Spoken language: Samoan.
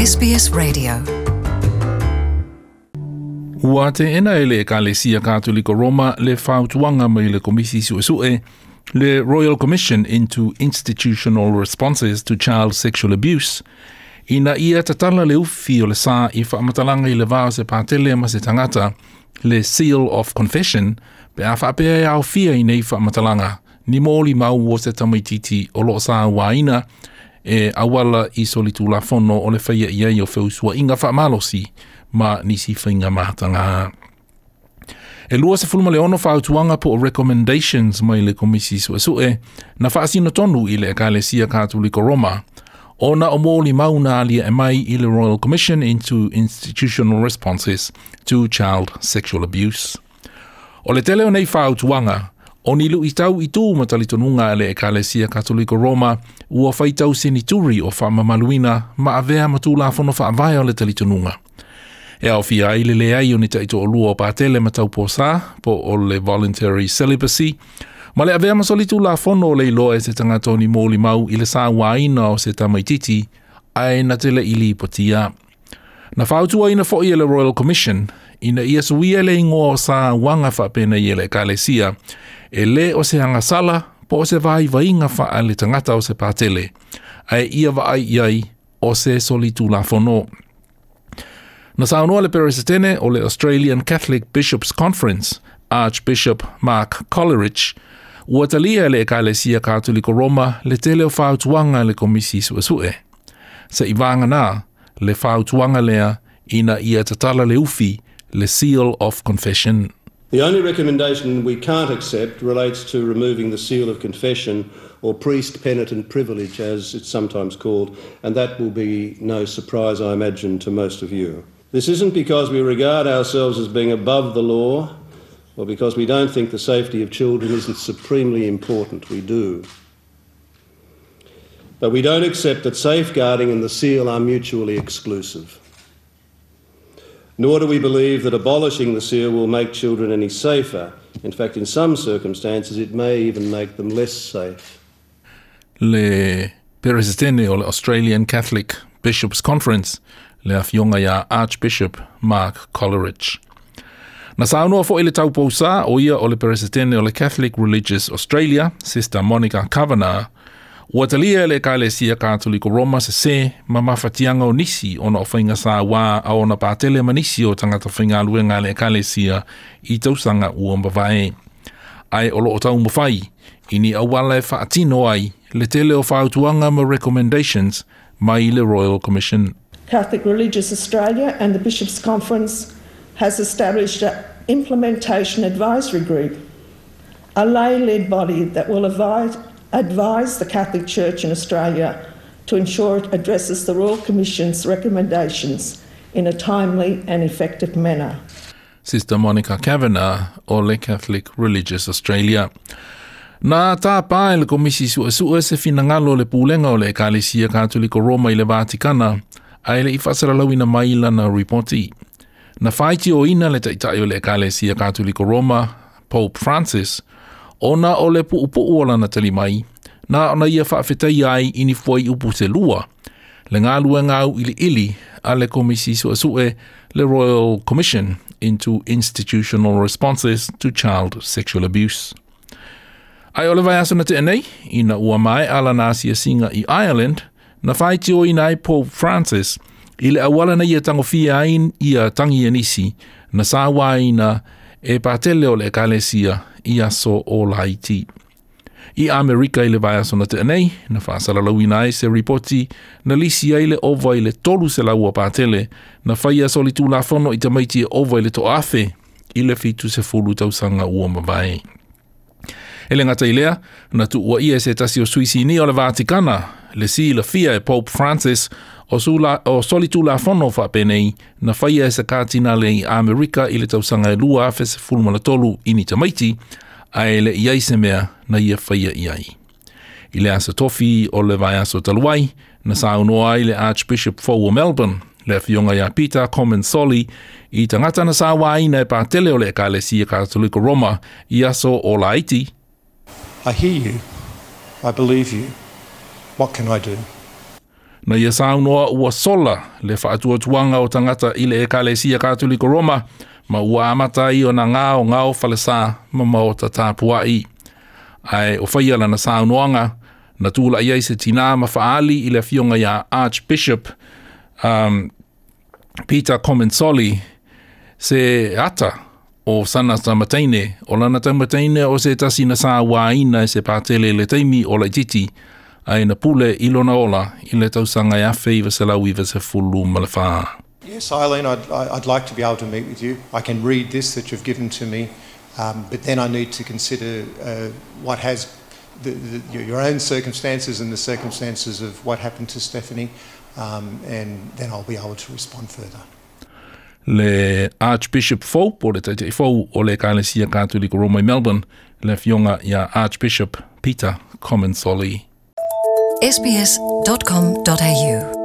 SBS Radio. Ua teena e le Ekalesia Katoliko Roma le fautuaga mai le Komisi Suesue, le Royal Commission into Institutional Responses to Child Sexual Abuse, ina ia tatala le ufi o le sa i faamatalaga i le va o se patele ma se tagata, le Seal of Confession, pe a faapea e aofia i nei faamatalaga ni molimau o se tamaititi o lo o sauaina e auala i solitulafono o le faia i ai o feusuaiga faamalosi ma nisi faiga mataga. E 26 fautuaga po o recommendations mai le Komisi Suesue na faasino tonu i le Ekalesia Katoliko Roma, ona o molimau na aliae mai i le Royal Commission into Institutional Responses to Child Sexual Abuse. O le tele o nei fautuaga, o ni luitau i tu ma talitonuga a le Ekalesia Katoliko Roma ua faitau senituri o faamamaluina ma avea ma tulafono faavae o le talitonuga. E aofia ai le leai o ni taitoalua o patele ma tauposa po o le voluntary celibacy, ma le avea ma solitulafono o le iloa e se tagata o ni molimau i le sauaina o se tamaititi ae na te le i lipotia. Na fautuaina foi e le Royal Commission ina ia suia le igoa o sauaga faapenei e le Ekalesia, e lē o se agasala po o se vaivaiga faaletagata o se patele, ae ia vaai i ai o se solitulafono. Na saunoa le Peresetene o le Australian Catholic Bishops Conference, Archbishop Mark Coleridge, ua talia e le Ekalesia Katoliko Roma le tele o fautuaga a le Komisi Suesue. Seivaganā le fautuaga lea ina ia tatala le ufi, le Seal of Confession. The only recommendation we can't accept relates to removing the seal of confession, or priest penitent privilege as it's sometimes called, and that will be no surprise, I imagine, to most of you. This isn't because we regard ourselves as being above the law or because we don't think the safety of children isn't supremely important. We do. But we don't accept that safeguarding and the seal are mutually exclusive. Nor do we believe that abolishing the seal will make children any safer. In fact, in some circumstances, it may even make them less safe. Le Peresetene o le Australian Catholic Bishops Conference, le Afioga ia Archbishop Mark Coleridge. Na saunoa foi le taupousā o ia o le Peresetene o le Catholic Religious Australia, Sister Monica Kavanagh, ua talia e le Ekalesia Katoliko Roma sesē ma mafatiaga o nisi ona o faiga sauā a ona patele ma nisi o tagata faigaluega a le Ekalesia i tausaga ua mavae. Ae o lo o taumafai i ni auala e faatino ai le tele o fautuaga ma recommendations mai le Royal Commission. Catholic Religious Australia and the Bishops' Conference has established an implementation advisory group, a lay-led body that will advise, advise the Catholic Church in Australia to ensure it addresses the Royal Commission's recommendations in a timely and effective manner. Sister Monica Kavanagh o le Catholic Religious Australia. Na tāpā e le Komisi Suesue se finagalo o le Pulega o le Ekalesia Katoliko Roma i le Vatikana, ae le i faasalalauina mai lana ripoti. Na faitioina le Taitai o le Ekalesia Katoliko Roma, Pope Francis, ona o le puupuu o lana tali mai, na ona ia faafetaia ai i ni fuaiupu se lua, le galuega auiliili a le Komisi Suesue, le Royal Commission into Institutional Responses to Child Sexual Abuse. Ae o le vaiaso na tea nei, ina ua maea lana asiasiga i Ireland, na faitioina ai Pope Francis i le auala na ia tagofia ai ia tagi e nisi na sauaina e patele o le Ekalesia i aso o laiti. I Amerika i le vaiaso na tea nei, na faasalalauina ai se ripoti na lisi ai le ova i le 300 o patele na faia solitulafono i tamaiti e ova i le 1000 i le 70 tausaga ua mavae. E le gata i lea, na tuuaia e se tasi o sui sinia o le Vatikana, le silafia e Pope Francis o, sula, o solitulafono faapenei na faia e se katinale i Amerika i le tausaga e 2013 i ni tamaiti, ae le i ai se mea na ia faia i ai. I le aso tofi o le vaiaso talu ai, na saunoa ai le Archbishop fou o Melbourne, le afioga ia Peter Comensoli, i tagata na sauaina e patele o le Ekalesia Katoliko Roma i aso o laiti. I hear you. I believe you. What can I do? Na ia saunoa ua sola le faatuatuaga o tagata i le Ekalesia Katoliko Roma ma ua amata ai ona gaogao falesā ma maota tapuaʻi. Ae o faia lana saunoaga na tulaʻi ai se tinā ma faaali i le afioga iā Archbishop Peter Comensoli se ata o sana tama teine, o lana tama teine o se tasi na sauāina e se patele i le taimi o laitiiti ae na pule i lona ola i le tausaga e 1994. Yes, Eileen, I'd like to be able to meet with you. I can read this that you've given to me, but then I need to consider what has your own circumstances and the circumstances of what happened to Stephanie, and then I'll be able to respond further. Le Archbishop fou po o le taitaʻi fou o le Ekalesia Katoliko Roma i Melbourne, le afioga ia Archbishop Peter Comensoli. sbs.com.au.